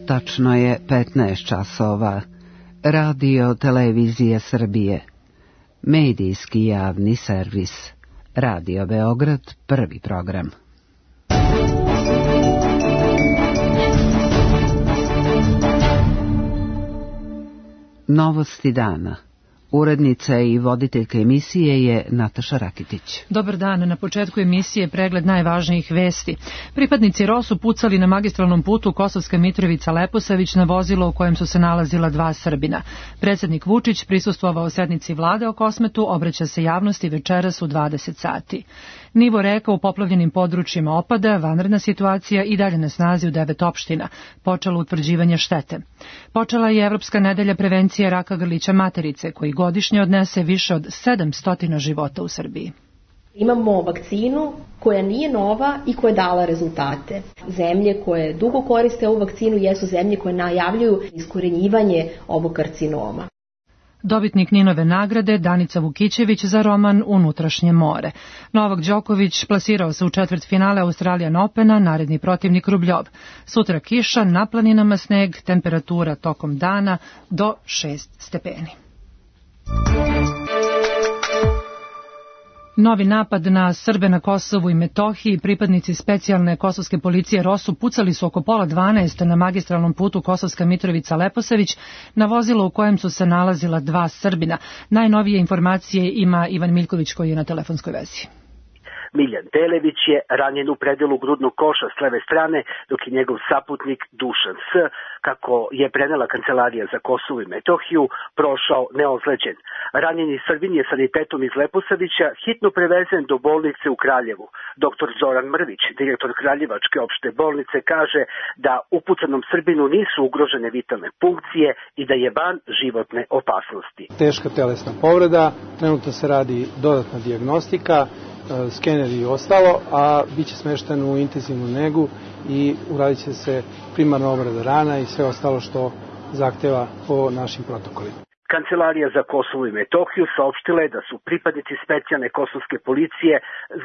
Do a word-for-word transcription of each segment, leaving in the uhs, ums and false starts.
Tačno je petnaest časova. Radio Televizija Srbije. Medijski javni servis. Radio Beograd, prvi program. Novosti dana. Urednica i voditeljka emisije je Nataša Rakitić. Dobar dan, na početku emisije pregled najvažnijih vesti. Pripadnici R O S-u pucali na magistralnom putu Kosovska Mitrovica-Leposavić na vozilo u kojem su se nalazila dva Srbina. Predsjednik Vučić prisustvovao sednici vlade o Kosmetu, obraća se javnosti večeras u dvadeset sati. Nivo reka u poplavljenim područjima opada, vanredna situacija i dalje na snazi u devet opština. Počelo utvrđivanje štete. Počela je Evropska nedelja prevencije raka grlića materice, koji godišnje odnese više od sedamsto života u Srbiji. Imamo vakcinu koja nije nova i koja je dala rezultate. Zemlje koje dugo koriste ovu vakcinu jesu zemlje koje najavljuju iskorenjivanje ovog karcinoma. Dobitnik Ninove nagrade Danica Vukićević za roman Unutrašnje more. Novak Đoković plasirao se u četvrtfinale Australian Opena, naredni protivnik Rubljov. Sutra kiša, na planinama sneg, temperatura tokom dana do šest stepeni. Novi napad na Srbe na Kosovu i Metohiji. Pripadnici specijalne kosovske policije R O S-u pucali su oko pola dvanaest na magistralnom putu Kosovska Mitrovica-Leposavić na vozilo u kojem su se nalazila dva Srbina. Najnovije informacije ima Ivan Miljković koji je na telefonskoj vezi. Miljan Delević je ranjen u predelu grudnog koša s leve strane, dok je njegov saputnik Dušan S., kako je prenela Kancelarija za Kosovo i Metohiju, prošao neozleđen. Ranjeni Srbin je sanitetom iz Leposavića hitno prevezen do bolnice u Kraljevu. Doktor Zoran Mrvić, direktor Kraljevačke opšte bolnice, kaže da upucanom Srbinu nisu ugrožene vitalne funkcije i da je van životne opasnosti. Teška telesna povreda, trenutno se radi dodatna dijagnostika, skener i ostalo, a bit će smešten u intenzivnu negu i uradit će se primarna obrada rana i sve ostalo što zahteva po našim protokolima. Kancelarija za Kosovo i Metohiju saopštila je da su pripadnici specijalne kosovske policije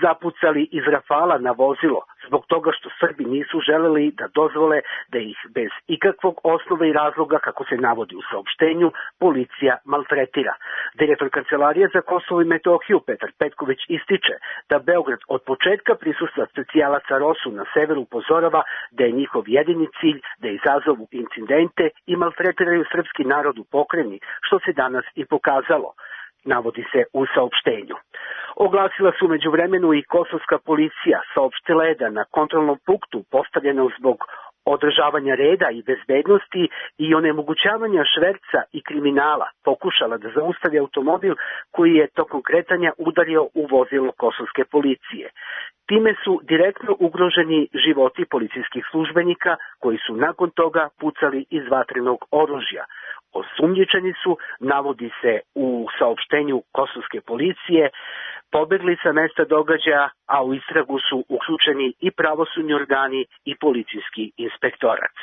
zapucali iz rafala na vozilo zbog toga što Srbi nisu želeli da dozvole da ih bez ikakvog osnova i razloga, kako se navodi u saopštenju, policija maltretira. Direktor Kancelarije za Kosovo i Metohiju Petar Petković ističe da Beograd od početka prisustva specijalaca R O S-u na severu upozorava da je njihov jedini cilj da izazovu incidente i maltretiraju srpski narod u pokrajini, što se danas i pokazalo, navodi se u saopštenju. Oglasila su međuvremenu i kosovska policija, saopštila je da na kontrolnom punktu postavljeno zbog održavanja reda i bezbednosti i onemogućavanja šverca i kriminala pokušala da zaustavi automobil koji je tokom kretanja udario u vozilo kosovske policije. Time su direktno ugroženi životi policijskih službenika koji su nakon toga pucali iz vatrenog oružja. Osumnjičeni su, navodi se u saopštenju kosovske policije, pobegli sa mesta događaja, a u istragu su uključeni i pravosudni organi i policijski inspektorat.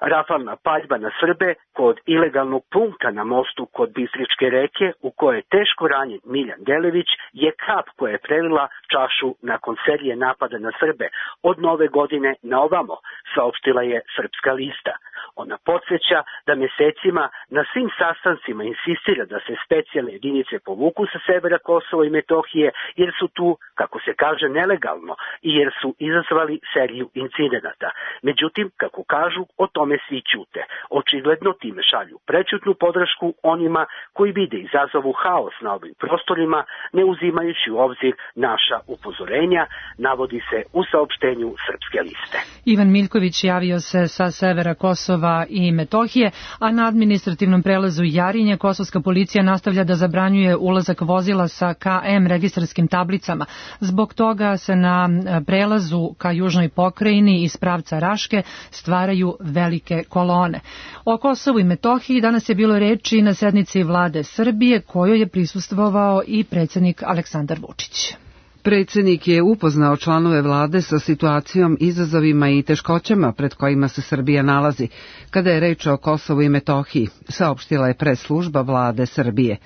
Rafalna paljba na Srbe kod ilegalnog punkta na mostu kod Bistričke reke, u kojoj je teško ranjen Miljan Delević, je kap koja je prelila čašu nakon serije napada na Srbe od nove godine na ovamo, saopštila je Srpska lista. Ona podsjeća da mesecima na svim sastancima insistira da se specijalne jedinice povuku sa severa Kosova i Metohije, jer su tu, kako se kaže, nelegalno i jer su izazvali seriju incidenata. Međutim, kako kažu, o tome svi ćute. Očigledno time šalju prečutnu podršku onima koji vide izazovu haos na ovim prostorima, ne uzimajući u obzir naša upozorenja, navodi se u saopštenju Srpske liste. Ivan Miljković javio se sa severa Kosova i Metohije, a na administrativnom prelazu Jarinje kosovska policija nastavlja da zabranjuje ulazak vozila sa K M registarskim tablicama. Zbog toga se na prelazu ka južnoj pokrajini iz pravca Raške stvaraju velike kolone. O Kosovu i Metohiji danas je bilo reči na sednici vlade Srbije, kojoj je prisustvovao i predsjednik Aleksandar Vučić. Predsjednik je upoznao članove vlade sa situacijom, izazovima i teškoćama pred kojima se Srbija nalazi, kada je reč o Kosovu i Metohiji, saopštila je pres služba vlade Srbije.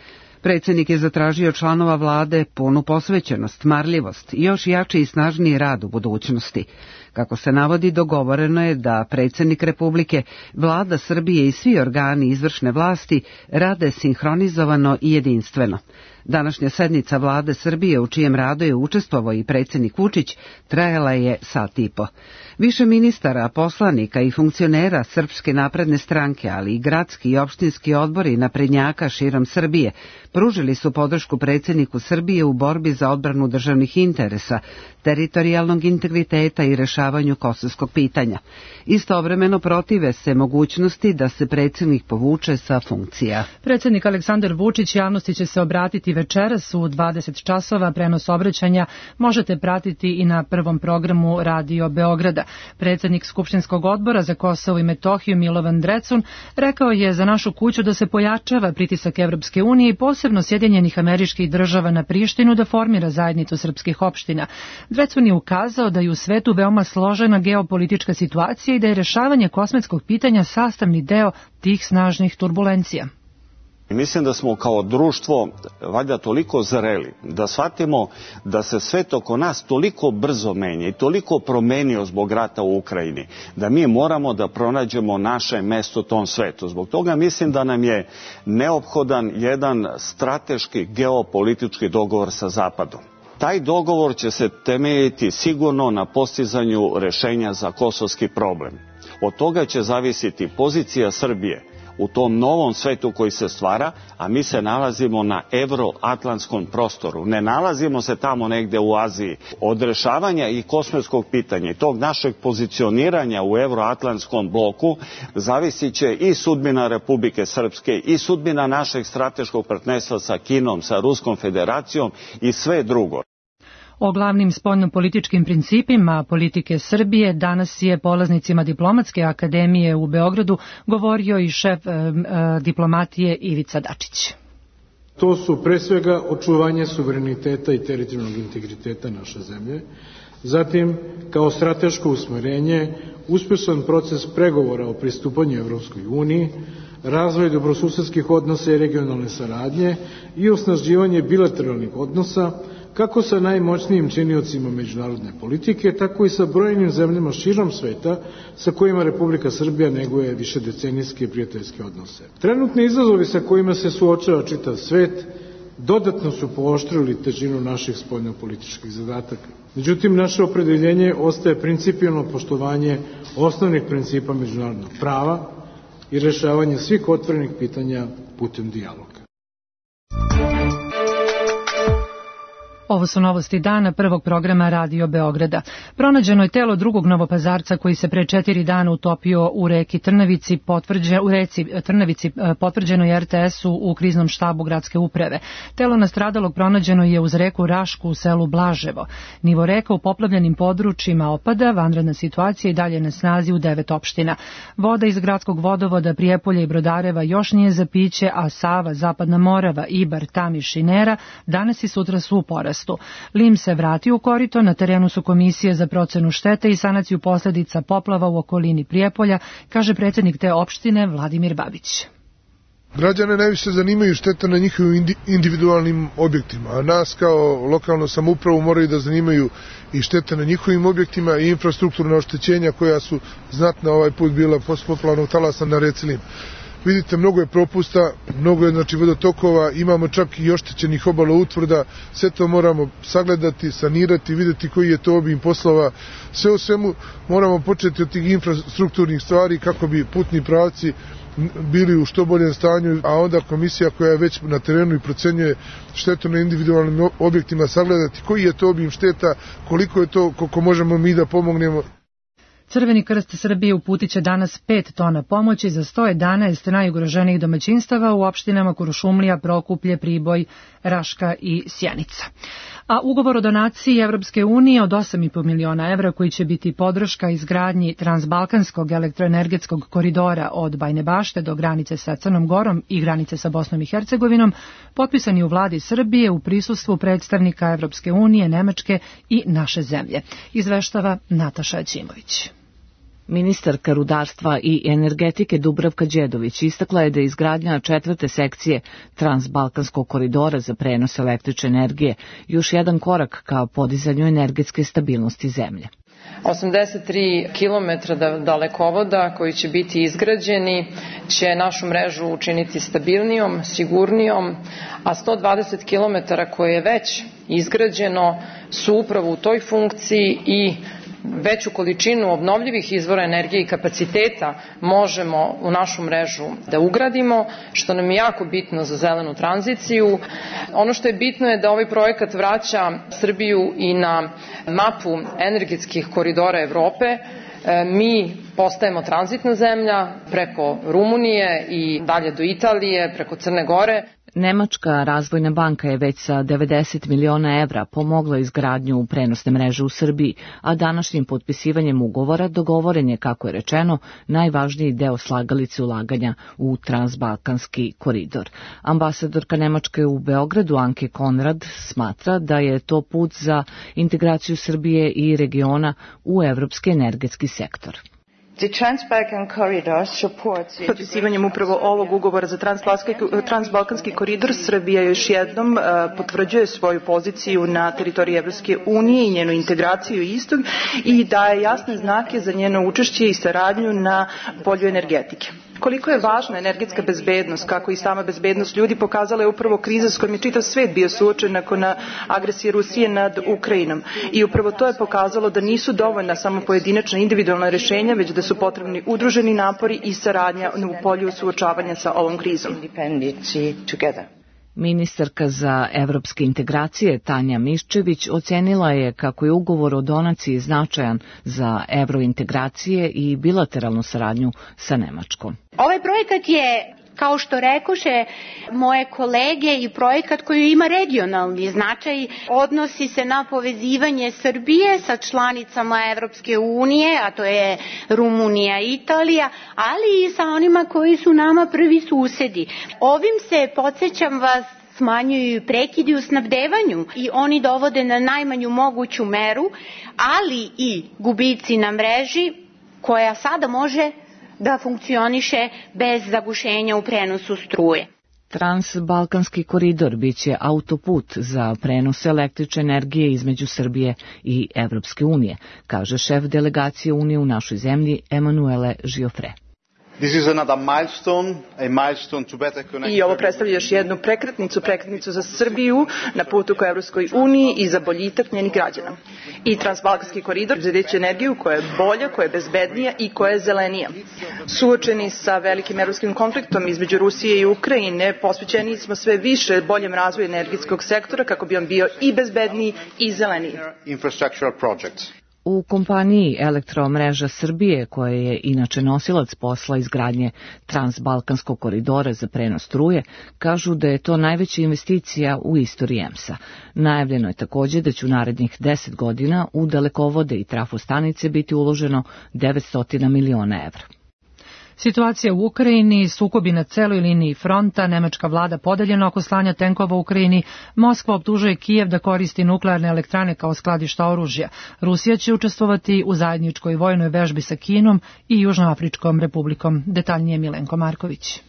Predsjednik je zatražio članova vlade punu posvećenost, marljivost i još jači i snažniji rad u budućnosti. Kako se navodi, dogovoreno je da predsjednik Republike, vlada Srbije i svi organi izvršne vlasti rade sinhronizovano i jedinstveno. Današnja sednica vlade Srbije, u čijem radu je učestvovao i predsjednik Vučić, trajala je sat i po. Više ministara, poslanika i funkcionera Srpske napredne stranke, ali i gradski i opštinski odbori naprednjaka širom Srbije, pružili su podršku predsjedniku Srbije u borbi za odbranu državnih interesa, teritorijalnog integriteta i rešavanju kosovskog pitanja. Istovremeno protive se mogućnosti da se predsjednik povuče sa funkcija. Predsjednik Aleksandar Vučić javnosti će se obratiti večeras u dvadeset časova. Prenos obraćanja možete pratiti i na prvom programu Radio Beograda. Predsjednik Skupštinskog odbora za Kosovo i Metohiju Milovan Drecun rekao je za našu kuću da se pojačava pritisak Evropske unije i posebno Sjedinjenih Američkih Država na Prištinu da formira zajednicu srpskih opština. Drecun je ukazao da je u svetu veoma složena geopolitička situacija i da je rešavanje kosmetskog pitanja sastavni deo tih snažnih turbulencija. Mislim da smo kao društvo valjda toliko zreli da shvatimo da se svet oko nas toliko brzo menja i toliko promenio zbog rata u Ukrajini, da mi moramo da pronađemo naše mesto u tom svetu. Zbog toga mislim da nam je neophodan jedan strateški geopolitički dogovor sa Zapadom. Taj dogovor će se temeljiti sigurno na postizanju rešenja za kosovski problem. Od toga će zavisiti pozicija Srbije u tom novom svetu koji se stvara, a mi se nalazimo na evroatlantskom prostoru. Ne nalazimo se tamo negde u Aziji. Od rešavanja i kosmetskog pitanja i tog našeg pozicioniranja u evroatlantskom bloku zavisit će i sudbina Republike Srpske i sudbina našeg strateškog partnerstva sa Kinom, sa Ruskom federacijom i sve drugo. O glavnim spoljnopolitičkim principima politike Srbije danas je polaznicima Diplomatske akademije u Beogradu govorio i šef e, e, diplomatije Ivica Dačić. To su pre svega očuvanje suvereniteta i teritorijalnog integriteta naše zemlje, zatim kao strateško usmerenje uspešan proces pregovora o pristupanju Evropskoj uniji, razvoj dobrosusedskih odnosa i regionalne saradnje i osnaživanje bilateralnih odnosa kako sa najmoćnijim činiocima međunarodne politike, tako i sa brojnim zemljama širom sveta sa kojima Republika Srbija neguje višedecenijske prijateljske odnose. Trenutni izazovi sa kojima se suočava čitav svet dodatno su pooštrili težinu naših spoljnopolitičkih zadataka. Međutim, naše opredeljenje ostaje principijelno poštovanje osnovnih principa međunarodnog prava i rešavanje svih otvorenih pitanja putem dijaloga. Ovo su novosti dana prvog programa Radio Beograda. Pronađeno je telo drugog Novopazarca koji se pre četiri dana utopio u reki Trnavici, potvrđe, u reci Trnavici, potvrđeno je er te esu u kriznom štabu gradske uprave. Telo nastradalog pronađeno je uz reku Rašku u selu Blaževo. Nivo reka u poplavljenim područjima opada, vanredna situacija i dalje na snazi u devet opština. Voda iz gradskog vodovoda Prijepolja i Brodareva još nije za piće, a Sava, Zapadna Morava, Ibar, Tamiš i Nera danas i sutra su u porastu. Lim se vrati u korito, na terenu su komisije za procenu štete i sanaciju posljedica poplava u okolini Prijepolja, kaže predsjednik te opštine Vladimir Babić. Građane najviše zanimaju štete na njihovim individualnim objektima, a nas kao lokalnu samoupravu moraju da zanimaju i štete na njihovim objektima i infrastrukturna oštećenja koja su znatna ovaj put bila posle poplavnog talasa na reci Lim. Vidite, mnogo je propusta, mnogo je znači vodotokova, imamo čak i oštećenih obala utvrda, sve to moramo sagledati, sanirati, vidjeti koji je to obim poslova. Sve u svemu moramo početi od tih infrastrukturnih stvari kako bi putni pravci bili u što boljem stanju, a onda komisija koja je već na terenu i procenjuje štetu na individualnim objektima sagledati koji je to obim šteta, koliko je to, koliko možemo mi da pomognemo. Crveni krst Srbije uputit će danas pet tona pomoći za sto jedanaest najugroženijih domaćinstava u opštinama Kuršumlija, Prokuplje, Priboj, Raška i Sjenica. A ugovor o donaciji Evropske unije od osam i po miliona evra koji će biti podrška izgradnji transbalkanskog elektroenergetskog koridora od Bajne Bašte do granice sa Crnom Gorom i granice sa Bosnom i Hercegovinom potpisan je u vladi Srbije u prisustvu predstavnika Evropske unije, Nemačke i naše zemlje. Izveštava Nataša Aćimović. Ministarka rudarstva i energetike Dubravka Đedović istakla je da je izgradnja četvrte sekcije Transbalkanskog koridora za prenos električne energije još jedan korak ka podizanju energetske stabilnosti zemlje. osamdeset tri kilometra dalekovoda koji će biti izgrađeni će našu mrežu učiniti stabilnijom, sigurnijom, a sto dvadeset kilometara koje je već izgrađeno su upravo u toj funkciji i veću količinu obnovljivih izvora energije i kapaciteta možemo u našu mrežu da ugradimo, što nam je jako bitno za zelenu tranziciju. Ono što je bitno je da ovaj projekat vraća Srbiju i na mapu energetskih koridora Evrope. Mi postajemo tranzitna zemlja preko Rumunije i dalje do Italije, preko Crne Gore. Nemačka razvojna banka je već sa devedeset miliona evra pomogla izgradnju prenosne mreže u Srbiji, a današnjim potpisivanjem ugovora dogovoren je, kako je rečeno, najvažniji deo slagalice ulaganja u transbalkanski koridor. Ambasadorka Nemačke u Beogradu Anke Konrad smatra da je to put za integraciju Srbije i regiona u evropski energetski sektor. Potpisivanjem upravo ovog ugovora za transbalkanski koridor Srbija još jednom potvrđuje svoju poziciju na teritoriji Evropske unije i njenu integraciju istog i daje jasne znake za njeno učešće i saradnju na polju energetike. Koliko je važna energetska bezbednost, kako i sama bezbednost ljudi, pokazala je upravo kriza s kojom je čitav svet bio suočen nakon agresije Rusije nad Ukrajinom. I upravo to je pokazalo da nisu dovoljna samo pojedinačna individualna rešenja, već da su potrebni udruženi napori i saradnja u polju suočavanja sa ovom krizom. Ministarka za evropske integracije Tanja Miščević ocenila je kako je ugovor o donaciji značajan za evrointegracije i bilateralnu saradnju sa Nemačkom. Ovaj projekat je, kao što rekoše moje kolege, i projekat koji ima regionalni značaj, odnosi se na povezivanje Srbije sa članicama Evropske unije, a to je Rumunija i Italija, ali i sa onima koji su nama prvi susedi. Ovim se, podsjećam vas, smanjuju prekidi u snabdevanju i oni dovode na najmanju moguću meru, ali i gubici na mreži koja sada može da funkcioniše bez zagušenja u prenosu struje. Transbalkanski koridor biće autoput za prenos električne energije između Srbije i Evropske unije, kaže šef delegacije Unije u našoj zemlji Emanuele Giofre. I ovo predstavlja još jednu prekretnicu, prekretnicu za Srbiju na putu ka Evropskoj uniji i za boljitak njenih građana. I transbalkanski koridor zadeće energiju koja je bolja, koja je bezbednija i koja je zelenija. Suočeni sa velikim evropskim konfliktom između Rusije i Ukrajine, posvećeni smo sve više boljem razvoju energetskog sektora kako bi on bio i bezbedniji i zeleniji. U kompaniji Elektromreža Srbije, koja je inače nosilac posla izgradnje Transbalkanskog koridora za prenos struje, kažu da je to najveća investicija u istoriji E M S-a. Najavljeno je također da će u narednih deset godina u dalekovode i trafostanice biti uloženo devetsto miliona evra. Situacija u Ukrajini, sukobi na celoj liniji fronta, nemačka vlada podeljena oko slanja tenkova u Ukrajini, Moskva optužuje Kijev da koristi nuklearne elektrane kao skladišta oružja. Rusija će učestvovati u zajedničkoj vojnoj vežbi sa Kinom i Južnoafričkom republikom. Detaljnije Milenko Marković.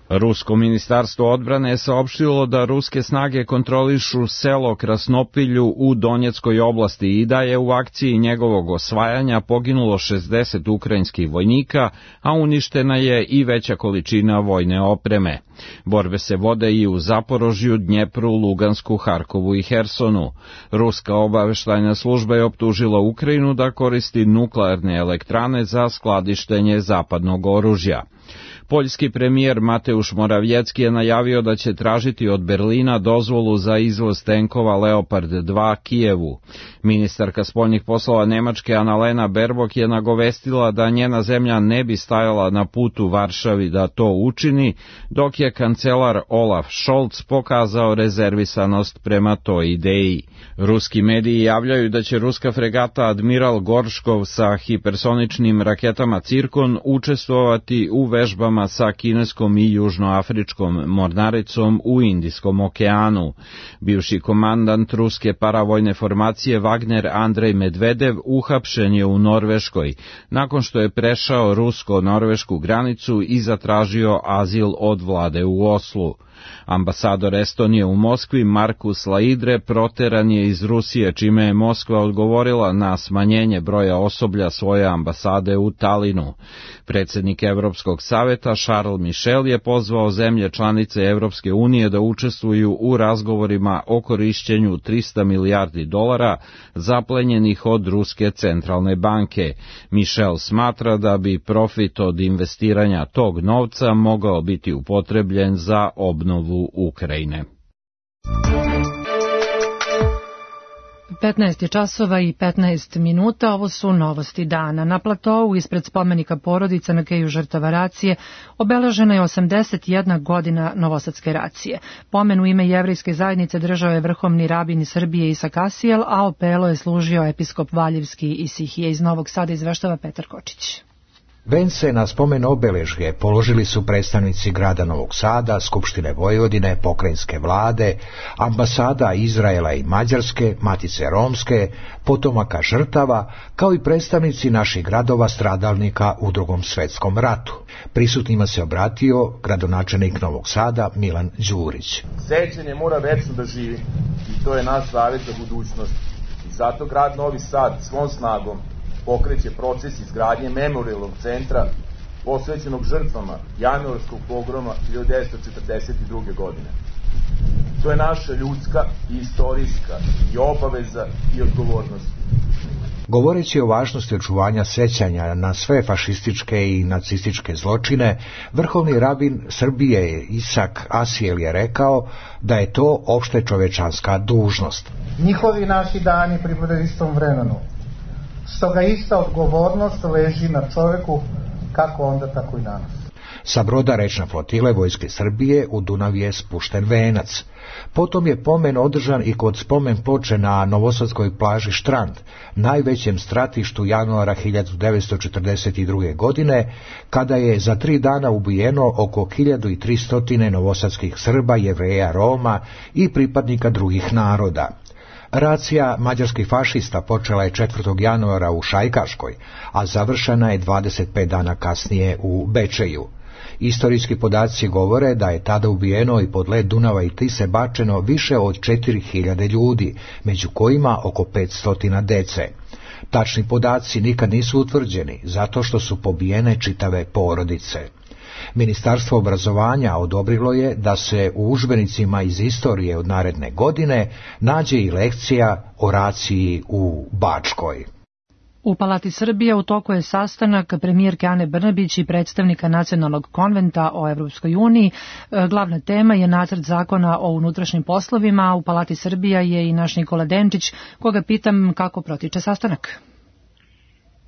Rusko ministarstvo odbrane je saopštilo da ruske snage kontrolišu selo Krasnopilju u Donjeckoj oblasti i da je u akciji njegovog osvajanja poginulo šezdeset ukrajinskih vojnika, a uništena je i veća količina vojne opreme. Borbe se vode i u Zaporožju, Dnjepru, Lugansku, Harkovu i Hersonu. Ruska obaveštajna služba je optužila Ukrajinu da koristi nuklearne elektrane za skladištenje zapadnog oružja. Poljski premijer Mateusz Morawiecki je najavio da će tražiti od Berlina dozvolu za izvoz tenkova Leopard dva Kijevu. Ministarka spoljnih poslova Nemačke Annalena Baerbock je nagovestila da njena zemlja ne bi stajala na putu Varšavi da to učini, dok je kancelar Olaf Scholz pokazao rezervisanost prema toj ideji. Ruski mediji javljaju da će ruska fregata Admiral Gorškov sa hipersoničnim raketama Cirkon učestvovati u vežbama sa kineskom i južnoafričkom mornaricom u Indijskom okeanu. Bivši komandant ruske paravojne formacije Wagner Andrej Medvedev uhapšen je u Norveškoj, nakon što je prešao rusko-norvešku granicu i zatražio azil od vlade u Oslu. Ambasador Estonije u Moskvi Markus Laidre proteran je iz Rusije, čime je Moskva odgovorila na smanjenje broja osoblja svoje ambasade u Talinu. Predsjednik Evropskog saveta Charles Michel je pozvao zemlje članice Evropske unije da učestvuju u razgovorima o korišćenju trista milijardi dolara zaplenjenih od Ruske centralne banke. Michel smatra da bi profit od investiranja tog novca mogao biti upotrebljen za obnovu Ukrajine. petnaest je časova i petnaest minuta, ovo su novosti dana. Na platovu ispred spomenika porodica na keju žrtava racije obeležena je osamdeset jedna godina novosadske racije. Pomen u ime jevrejske zajednice držao je vrhovni rabin Srbije Isak Asijel, a opelo je služio episkop Valjevski Isihije. Iz Novog Sada izveštava Petar Kočić. Vence na spomen obeležje položili su predstavnici grada Novog Sada, Skupštine Vojvodine, pokrajinske vlade, ambasada Izraela i Mađarske, Matice Romske, potomaka žrtava, kao i predstavnici naših gradova stradalnika u Drugom svetskom ratu. Prisutnima se obratio gradonačelnik Novog Sada Milan Đurić. Sećanje mora večno da živi i to je naš zavet za budućnost. I zato grad Novi Sad svom snagom pokreće proces izgradnje memorijalnog centra posvećenog žrtvama januarskog pogroma hiljadu devetsto četrdeset druge. godine. To je naša ljudska i istorijska i obaveza i odgovornost. Govoreći o važnosti očuvanja sećanja na sve fašističke i nacističke zločine, vrhovni rabin Srbije Isak Asijel je rekao da je to opšte čovečanska dužnost. Njihovi naši dani pripadaju istom vremenu. Stoga ista odgovornost leži na čoveku, kako onda, tako i danas. Sa broda rečne flotile Vojske Srbije u Dunav je spušten venac. Potom je pomen održan i kod spomen ploče na novosadskoj plaži Štrand, najvećem stratištu januara hiljadu devetsto četrdeset druge. godine, kada je za tri dana ubijeno oko hiljadu tristo novosadskih Srba, Jevreja, Roma i pripadnika drugih naroda. Racija mađarskih fašista počela je četvrtog januara u Šajkaškoj, a završena je dvadeset pet dana kasnije u Bečeju. Istorijski podaci govore da je tada ubijeno i pod led Dunava i Tise bačeno više od četiri hiljade ljudi, među kojima oko petsto dece. Tačni podaci nikad nisu utvrđeni, zato što su pobijene čitave porodice. Ministarstvo obrazovanja odobrilo je da se u udžbenicima iz istorije od naredne godine nađe i lekcija o raciji u Bačkoj. U Palati Srbije u toku je sastanak premijerke Ane Brnabić i predstavnika Nacionalnog konventa o Evropskoj uniji. Glavna tema je nacrt zakona o unutrašnjim poslovima, a u Palati Srbija je i naš Nikola Denčić, koga pitam kako protiče sastanak.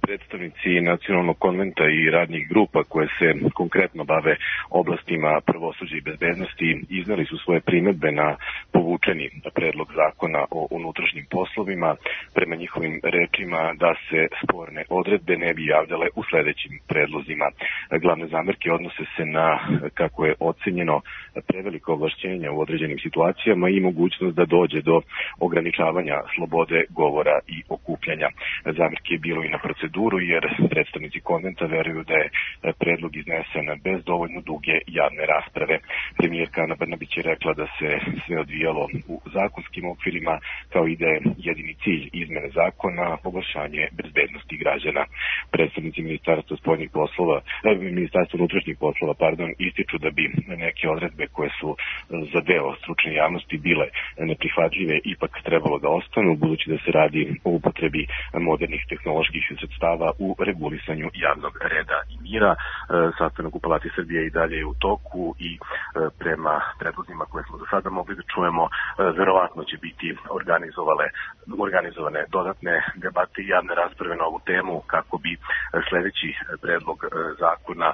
Predstavnici Nacionalnog konventa i radnih grupa koje se konkretno bave oblastima pravosuđa i bezbednosti iznali su svoje primedbe na povučeni predlog zakona o unutrašnjim poslovima. Prema njihovim rečima da se sporne odredbe ne bi javljale u sledećim predlozima. Glavne zamerke odnose se na, kako je ocenjeno, preveliko ovlašćenja u određenim situacijama i mogućnost da dođe do ograničavanja slobode govora i okupljanja. Zamerke je bilo i na proceduru, jer predstavnici konventa veruju da je predlog iznesen bez dovoljno duge javne rasprave. Premijerka Ana Brnabić je rekla da se sve odvijalo u zakonskim okvirima, kao i da je jedini cilj izmene zakona poboljšanje bezbednosti građana. Predstavnici Ministarstva spoljnih poslova, Ministarstva unutrašnjih poslova, pardon, ističu da bi neke odredbe koje su za deo stručne javnosti bile neprihvatljive ipak trebalo da ostanu, budući da se radi o upotrebi modernih tehnoloških sredstava u regulisanju javnog reda i mira. Sastanak u Palati Srbije i dalje je u toku i prema predlozima koje smo do sada mogli da čujemo, verovatno će biti organizovale, organizovane dodatne debate i javne rasprave na ovu temu kako bi sledeći predlog zakona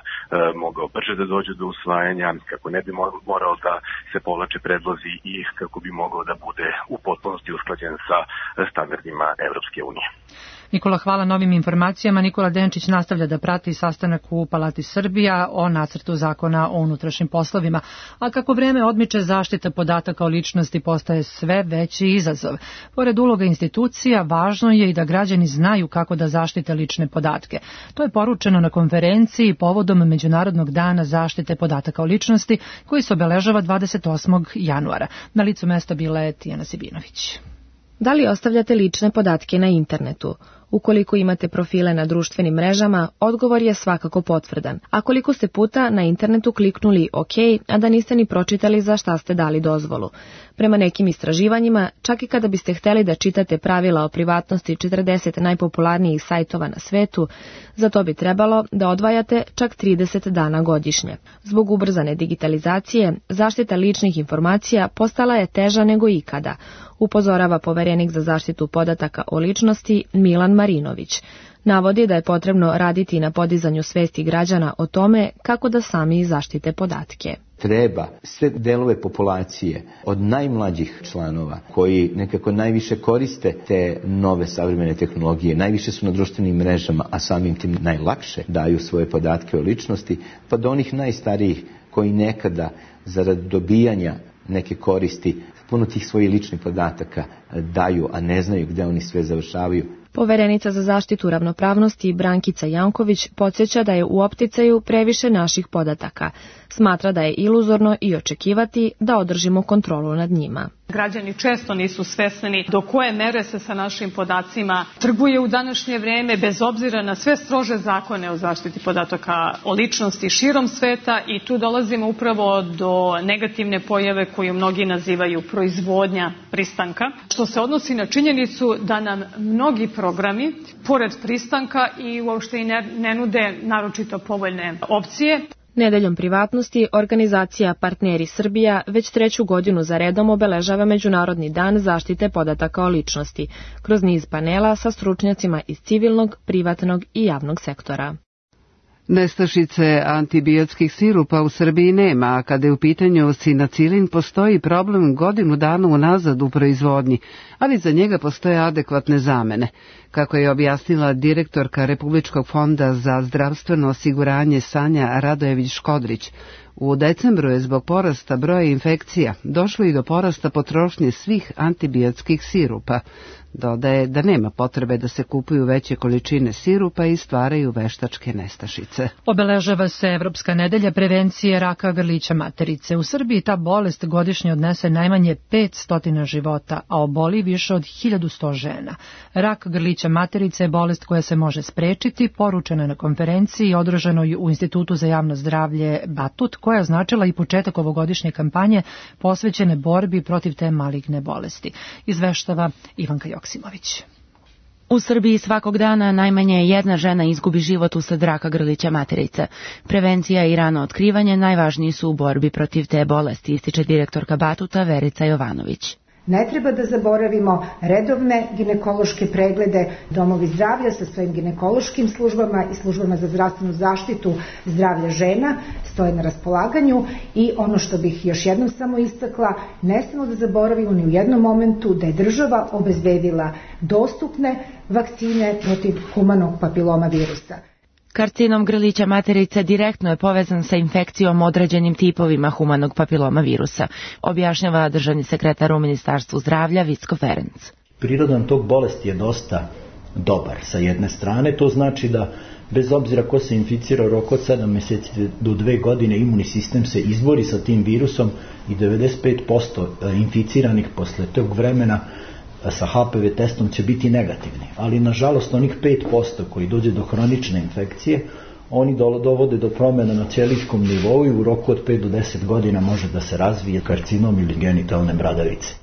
mogao brže da dođe do usvajanja, kako ne bi morao da se povlače predlozi i kako bi mogao da bude u potpunosti usklađen sa standardima Evropske unije. Nikola, hvala novim informacijama. Nikola Denčić nastavlja da prati sastanak u Palati Srbija o nacrtu zakona o unutrašnjim poslovima. A kako vreme odmiče, zaštita podataka o ličnosti postaje sve veći izazov. Pored uloga institucija, važno je i da građani znaju kako da zaštite lične podatke. To je poručeno na konferenciji povodom Međunarodnog dana zaštite podataka o ličnosti, koji se obeležava dvadeset osmog januara. Na licu mesta bila je Tijana Sibinović. Da li ostavljate lične podatke na internetu? Ukoliko imate profile na društvenim mrežama, odgovor je svakako potvrdan. A koliko ste puta na internetu kliknuli OK, a da niste ni pročitali za šta ste dali dozvolu? Prema nekim istraživanjima, čak i kada biste hteli da čitate pravila o privatnosti četrdeset najpopularnijih sajtova na svetu, za to bi trebalo da odvajate čak trideset dana godišnje. Zbog ubrzane digitalizacije, zaštita ličnih informacija postala je teža nego ikada, upozorava poverenik za zaštitu podataka o ličnosti Milan Marinović. Navodi da je potrebno raditi na podizanju svesti građana o tome kako da sami zaštite podatke. Treba sve delove populacije, od najmlađih članova koji nekako najviše koriste te nove savremene tehnologije, najviše su na društvenim mrežama, a samim tim najlakše daju svoje podatke o ličnosti, pa do onih najstarijih koji nekada zarad dobijanja neke koristi puno tih svojih ličnih podataka daju, a ne znaju gde oni sve završavaju. Poverenica za zaštitu ravnopravnosti Brankica Janković podsjeća da je u opticaju previše naših podataka. Smatra da je iluzorno i očekivati da održimo kontrolu nad njima. Građani često nisu svesni do koje mere se sa našim podacima trguje u današnje vreme, bez obzira na sve strože zakone o zaštiti podataka o ličnosti širom sveta, i tu dolazimo upravo do negativne pojave koju mnogi nazivaju proizvodnja pristanka, što se odnosi na činjenicu da nam mnogi programi, pored pristanka, i uopšte i ne, ne nude naročito povoljne opcije. Nedeljom privatnosti organizacija Partneri Srbija već treću godinu za redom obeležava Međunarodni dan zaštite podataka o ličnosti, kroz niz panela sa stručnjacima iz civilnog, privatnog i javnog sektora. Nestašice antibiotskih sirupa u Srbiji nema, a kada je u pitanju sinacilin postoji problem godinu dana unazad u proizvodnji, ali za njega postoje adekvatne zamene. Kako je objasnila direktorka Republičkog fonda za zdravstveno osiguranje Sanja Radojević-Škodrić, u decembru je zbog porasta broja infekcija došlo i do porasta potrošnje svih antibiotskih sirupa. Dodaje da nema potrebe da se kupuju veće količine sirupa i stvaraju veštačke nestašice. Obeležava se Evropska nedelja prevencije raka grlića materice. U Srbiji ta bolest godišnje odnese najmanje petsto života, a oboli više od hiljadu sto žena. Rak grlića materice je bolest koja se može sprečiti, poručena na konferenciji održanoj u Institutu za javno zdravlje Batut, koja je označila i početak ovogodišnje kampanje posvećene borbi protiv te maligne bolesti. Izveštava Ivanka Joksimović. U Srbiji svakog dana najmanje jedna žena izgubi život usled raka grlića materice. Prevencija i rano otkrivanje najvažniji su u borbi protiv te bolesti, ističe direktorka Batuta Verica Jovanović. Ne treba da zaboravimo redovne ginekološke preglede, domovi zdravlja sa svojim ginekološkim službama i službama za zdravstvenu zaštitu zdravlja žena stoje na raspolaganju, i ono što bih još jednom samo istakla, ne smemo da zaboravimo ni u jednom momentu da je država obezbedila dostupne vakcine protiv humanog papiloma virusa. Karcinom grlića materice direktno je povezan sa infekcijom određenim tipovima humanog papiloma virusa, objašnjava državni sekretar u Ministarstvu zdravlja Vicko Ferenc. Prirodan tok bolesti je dosta dobar sa jedne strane, to znači da bez obzira ko se inficira u roku od sedam meseci do dve godine, imunni sistem se izbori sa tim virusom i devedeset pet posto inficiranih posle tog vremena sa H P V testom će biti negativni, ali nažalost onih pet posto koji dođe do hronične infekcije, oni dovode do promjena na ćelijskom nivou i u roku od pet do deset godina može da se razvije karcinom ili genitalne bradavice.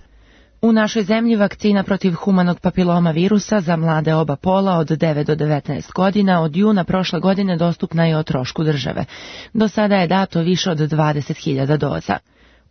U našoj zemlji vakcina protiv humanog papiloma virusa za mlade oba pola od devet do devetnaest godina od juna prošle godine dostupna je o trošku države. Do sada je dato više od dvadeset hiljada doza.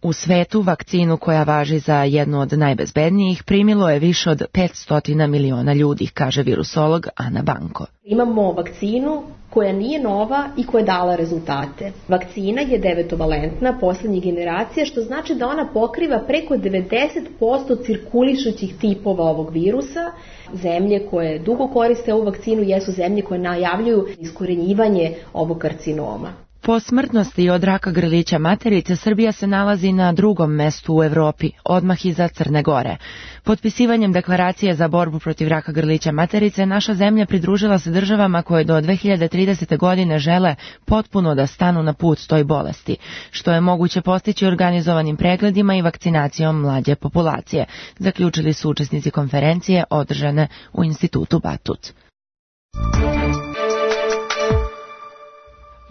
U svetu vakcinu koja važi za jednu od najbezbednijih primilo je više od petsto miliona ljudi, kaže virusolog Ana Banko. Imamo vakcinu koja nije nova i koja je dala rezultate. Vakcina je devetovalentna, poslednjih generacija, što znači da ona pokriva preko devedeset posto cirkulišućih tipova ovog virusa. Zemlje koje dugo koriste ovu vakcinu jesu zemlje koje najavljuju iskorenjivanje ovog karcinoma. Po smrtnosti od raka grlića materice Srbija se nalazi na drugom mestu u Evropi, odmah iza Crne Gore. Potpisivanjem deklaracije za borbu protiv raka grlića materice naša zemlja pridružila se državama koje do dve hiljade tridesete. godine žele potpuno da stanu na put toj bolesti, što je moguće postići organizovanim pregledima i vakcinacijom mlađe populacije, zaključili su učesnici konferencije održane u Institutu Batut.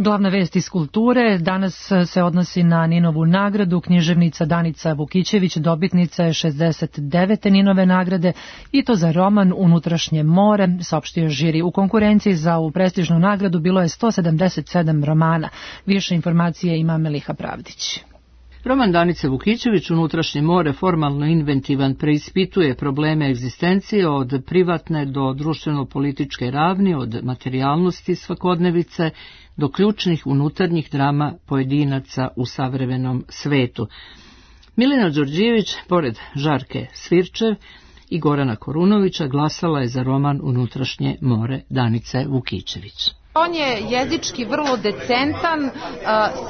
Glavna vest iz kulture danas se odnosi na Ninovu nagradu. Književnica Danica Vukićević dobitnica je šezdeset devete Ninove nagrade i to za roman Unutrašnje more, saopštio žiri. U konkurenciji za ovu prestižnu nagradu bilo je sto sedamdeset sedam romana. Više informacije ima Meliha Pravdić. Roman Danice Vukićević Unutrašnje more formalno inventivan preispituje probleme egzistencije od privatne do društveno-političke ravni, od materijalnosti svakodnevice do ključnih unutarnjih drama pojedinaca u savremenom svetu. Milena Đorđević, pored Žarke Svirčev i Gorana Korunovića, glasala je za roman Unutrašnje more Danice Vukićević. On je jezički vrlo decentan,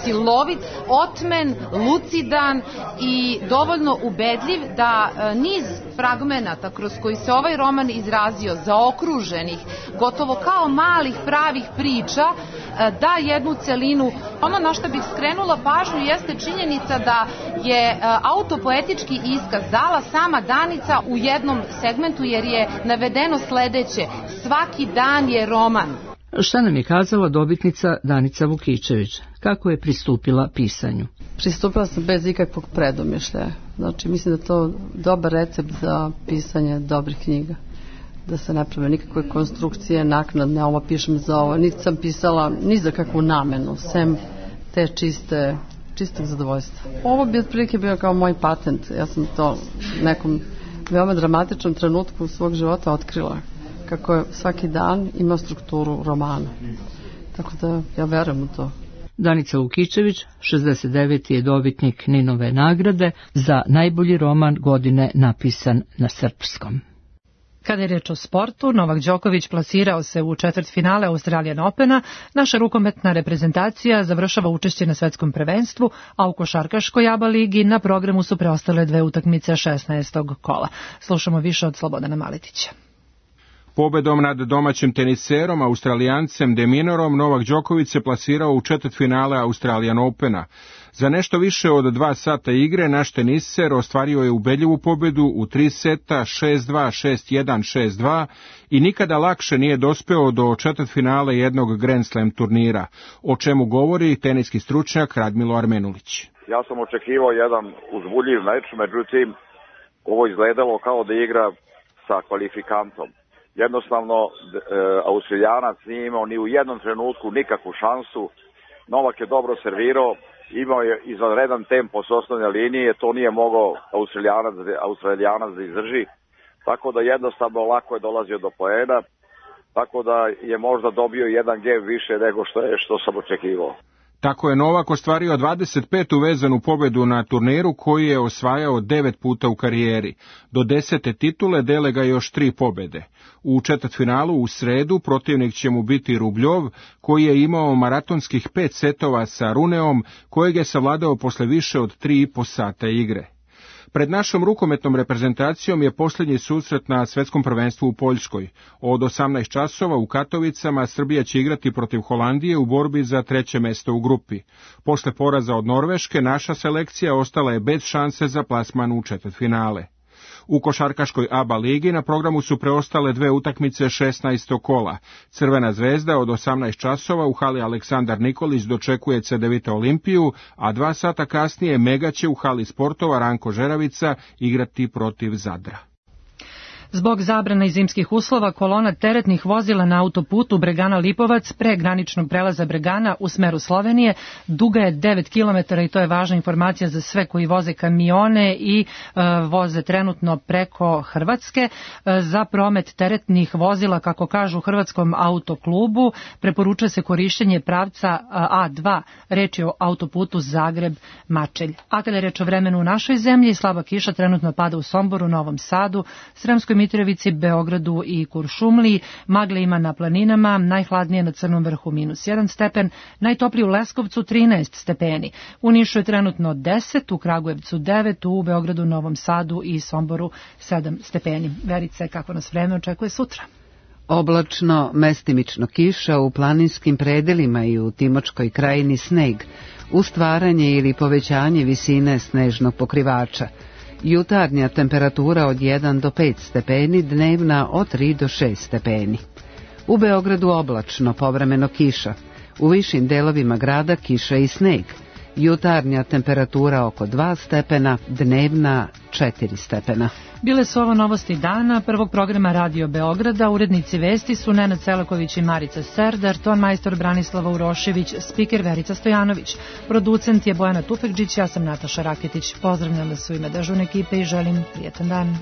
silovit, otmen, lucidan i dovoljno ubedljiv da niz fragmenata kroz koji se ovaj roman izrazio, zaokruženih, gotovo kao malih pravih priča, da jednu celinu. Ono na što bih skrenula pažnju jeste činjenica da je autopoetički iskaz dala sama Danica u jednom segmentu, jer je navedeno sledeće: svaki dan je roman. Šta nam je kazala dobitnica Danica Vukićević? Kako je pristupila pisanju? Pristupila sam bez ikakvog predomišljaja. Znači, mislim da je to dobar recept za pisanje dobrih knjiga. Da se ne prave nikakve konstrukcije, naknadne, ovo pišem za ovo. Niti sam pisala ni za kakvu namenu, sem te čiste, čistog zadovoljstva. Ovo bi otprilike bio kao moj patent. Ja sam to u nekom veoma dramatičnom trenutku svog života otkrila, kako je svaki dan ima strukturu romana. Tako da ja verujem u to. Danica Vukićević, šezdeset deveti je dobitnik Ninove nagrade za najbolji roman godine napisan na srpskom. Kada je reč o sportu, Novak Đoković plasirao se u četvrtfinale Australian Opena, naša rukometna reprezentacija završava učešće na svetskom prvenstvu, a u košarkaškoj ABA ligi na programu su preostale dve utakmice šesnaestog kola. Slušamo više od Slobodana Maletića. Pobedom nad domaćim teniserom, Australijancem De Minorom, Novak Đoković se plasirao u četvrtfinale Australian Opena. Za nešto više od dva sata igre naš teniser ostvario je ubedljivu pobedu u tri seta, šest dva, šest jedan, šest dva i nikada lakše nije dospeo do četvrtfinale jednog Grand Slam turnira, o čemu govori teniski stručnjak Radmilo Armenulić. Ja sam očekivao jedan uzbudljiv meč, međutim ovo izgledalo kao da igra sa kvalifikantom. Jednostavno, e, Australijanac nije imao ni u jednom trenutku nikakvu šansu. Novak je dobro servirao, imao je izvanredan tempo s osnovne linije, to nije mogao Australijanac, Australijanac da izdrži, tako da jednostavno lako je dolazio do poena, tako da je možda dobio jedan gem više nego što je što sam očekivao. Tako je Novak ostvario dvadeset petu vezanu pobedu na turniru koji je osvajao devet puta u karijeri. Do desete titule dele ga još tri pobede. U četvrtfinalu u sredu protivnik će mu biti Rubljov, koji je imao maratonskih pet setova sa Runeom, kojeg je savladao posle više od tri i po sata igre. Pred našom rukometnom reprezentacijom je posljednji susret na svetskom prvenstvu u Poljskoj. Od osamnaest časova u Katovicama Srbija će igrati protiv Holandije u borbi za treće mesto u grupi. Posle poraza od Norveške, naša selekcija ostala je bez šanse za plasman u četvrtfinale. U košarkaškoj ABA ligi na programu su preostale dve utakmice šesnaestog kola. Crvena zvezda od osamnaest časova u hali Aleksandar Nikolić dočekuje Cedevita Olimpiju, a dva sata kasnije Mega će u hali sportova Ranko Žeravica igrati protiv Zadra. Zbog zabrana i zimskih uslova, kolona teretnih vozila na autoputu Bregana-Lipovac pre graničnog prelaza Bregana u smeru Slovenije duga je devet kilometara i to je važna informacija za sve koji voze kamione i e, voze trenutno preko Hrvatske. E, za promet teretnih vozila, kako kažu u Hrvatskom autoklubu, preporučuje se korišćenje pravca A dva, reč je o autoputu Zagreb-Mačelj. A kada je reč o vremenu u našoj zemlji, slaba kiša trenutno pada u Somboru, Novom Sadu, Sremskoj Mitrovici, Beogradu i Kuršumliji. Magle ima na planinama, najhladnije na Crnom vrhu minus jedan stepen, najtoplije u Leskovcu trinaest stepeni. U Nišu je trenutno deset, u Kragujevcu devet, u Beogradu, Novom Sadu i Somboru sedam stepeni. Verice, kako nas vreme očekuje sutra? Oblačno, mestimično kiša, u planinskim predelima i u Timočkoj krajini sneg, uz stvaranje ili povećanje visine snežnog pokrivača. Jutarnja temperatura od jedan do pet stepeni, dnevna od tri do šest stepeni. U Beogradu oblačno, povremeno kiša. U višim delovima grada kiša i sneg. Jutarnja temperatura oko dva stepena, dnevna četiri stepena. Bile su ovo novosti dana prvog programa Radio Beograda. Urednici vesti su Nenad Selaković i Marica Serdar, ton majstor Branislava Urošević, spiker Verica Stojanović. Producent je Bojana Tufekđić, ja sam Nataša Raketić. Pozdravljam vas u ime dežurne ekipe i želim prijetan dan.